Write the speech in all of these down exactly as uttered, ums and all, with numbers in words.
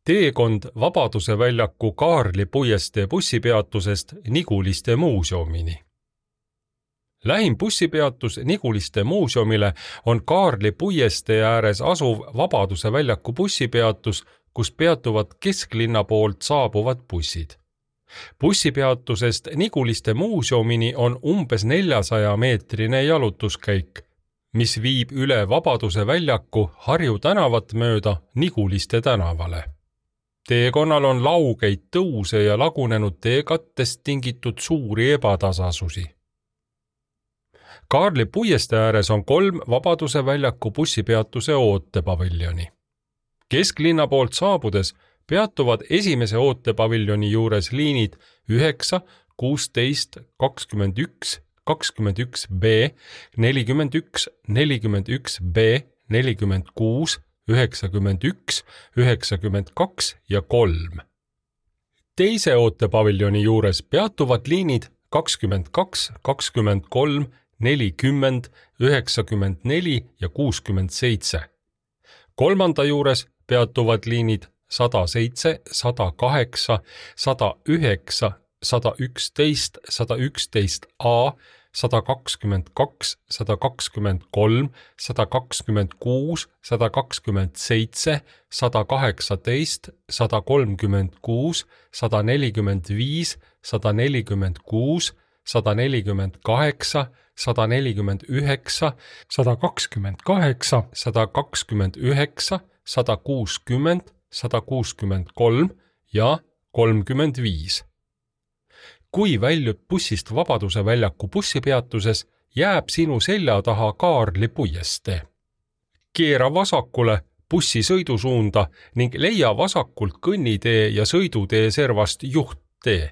Teekond Vabaduse väljaku Kaarli puiestee bussipeatusest Niguliste muuseumini. Lähim bussipeatus Niguliste muuseumile on Kaarli puiestee ääres asuv Vabaduse väljaku bussipeatus, kus peatuvad kesklinna poolt saabuvad bussid. Bussipeatusest Niguliste muuseumini on umbes neljasaja meetrine jalutuskäik, mis viib üle Vabaduse väljaku Harju tänavat mööda Niguliste tänavale. Teekonnal on laugeid tõuse ja lagunenud teekattest tingitud suuri ebatasasusi. Kaarli puiestee ääres on kolm Vabaduse väljaku bussipeatuse ootepaviljoni. Kesklinna poolt saabudes peatuvad esimese ootepaviljoni juures liinid üheksa, kuusteist, kakskümmend üks, kakskümmend üks B, nelikümmend üks, nelikümmend üks B, nelikümmend kuus, üheksakümmend üks, üheksakümmend kaks ja kolm. Teise ootepaviljoni juures peatuvad liinid kakskümmend kaks, kakskümmend kolm, nelikümmend, üheksakümmend neli ja kuuskümmend seitse. Kolmanda juures peatuvad liinid sada seitse, sada kaheksa, sada üheksa, sada üksteist, sada üksteist A, sada kakskümmend kaks, sada kakskümmend kolm, sada kakskümmend kuus, sada kakskümmend seitse, sada kaheksateist, sada kolmkümmend kuus, sada nelikümmend viis, sada nelikümmend kuus, sada nelikümmend kaheksa, sada nelikümmend üheksa, sada kakskümmend kaheksa, sada kakskümmend üheksa, sada kuuskümmend, sada kuuskümmend kolm ja kolmkümmend viis. Kui väljud bussist Vabaduse väljaku bussipeatuses, jääb sinu selja taha Kaarli puiestee. Keera vasakule bussi sõidusuunda ning leia vasakult kõnnitee ja sõidutee servast juhttee.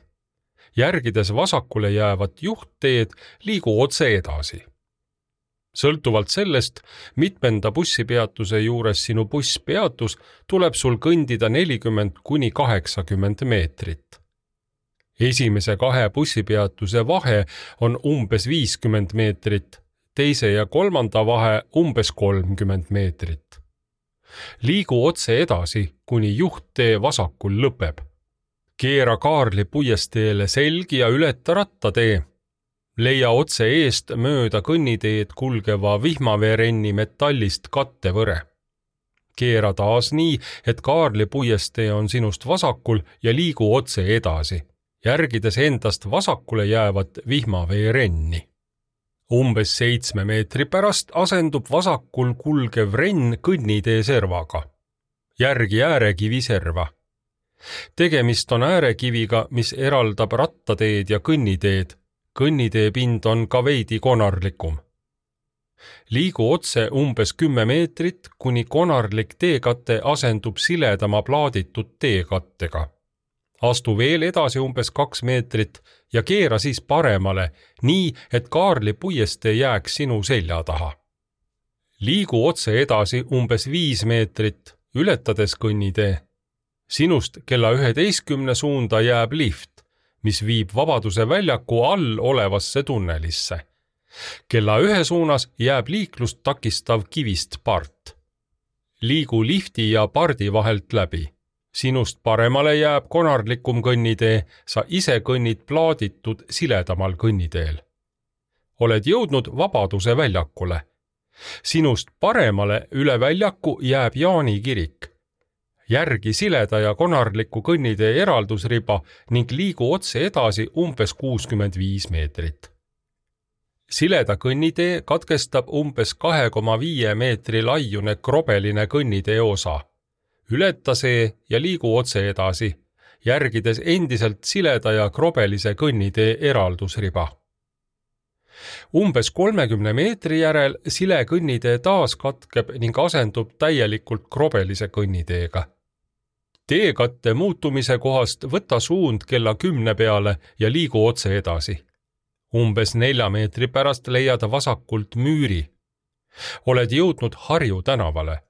Järgides vasakule jäävat juhtteed, liigu otse edasi. Sõltuvalt sellest, mitmenda bussipeatuse juures sinu buss peatus, tuleb sul kõndida nelikümmend kuni kaheksakümmend meetrit. Esimese kahe bussipeatuse vahe on umbes viiskümmend meetrit, teise ja kolmanda vahe umbes kolmkümmend meetrit. Liigu otse edasi, kuni juhttee vasakul lõpeb. Keera Kaarli puiesteele selgi ja ületa rattatee. Leia otse eest mööda kõnniteed kulgeva vihmaveerenni metallist kattevõre. Keera taas nii, et Kaarli puiestee on sinust vasakul ja liigu otse edasi, järgides endast vasakule jäävat vihmaveerenni. Umbes seitsme meetri pärast asendub vasakul kulgev renn kõnnitee servaga. Järgi äärekivi serva. Tegemist on äärekiviga, mis eraldab rattateed ja kõnniteed. Kõnnitee pind on ka veidi konarlikum. Liigu otse umbes kümme meetrit, kuni konarlik teekate asendub siledama plaaditud teekattega. Astu veel edasi umbes kaks meetrit ja keera siis paremale, nii et Kaarli puiestee jääks sinu selja taha. Liigu otse edasi umbes viis meetrit, ületades kõnnitee. Sinust kella üheteistkümne suunda jääb lift, mis viib Vabaduse väljaku all olevasse tunnelisse. Kella ühe suunas jääb liiklust takistav kivist part. Liigu lifti ja pardi vahelt läbi. Sinust paremale jääb konarlikum kõnnitee, sa ise kõnnid plaaditud siledamal kõnniteel. Oled jõudnud Vabaduse väljakule. Sinust paremale üle väljaku jääb Jaani kirik. Järgi sileda ja konarliku kõnnitee eraldusriba ning liigu otse edasi umbes kuuskümmend viis meetrit. Sileda kõnnitee katkestab umbes kahe koma viie meetri laiune krobeline kõnnitee osa. Ületa see ja liigu otse edasi, järgides endiselt sileda ja krobelise kõnnitee eraldusriba. Umbes kolmekümne meetri järel sile kõnnitee taas katkeb ning asendub täielikult krobelise kõnniteega. Teekatte muutumise kohast võta suund kella kümne peale ja liigu otse edasi. Umbes nelja meetri pärast leiad vasakult müüri. Oled jõudnud Harju tänavale.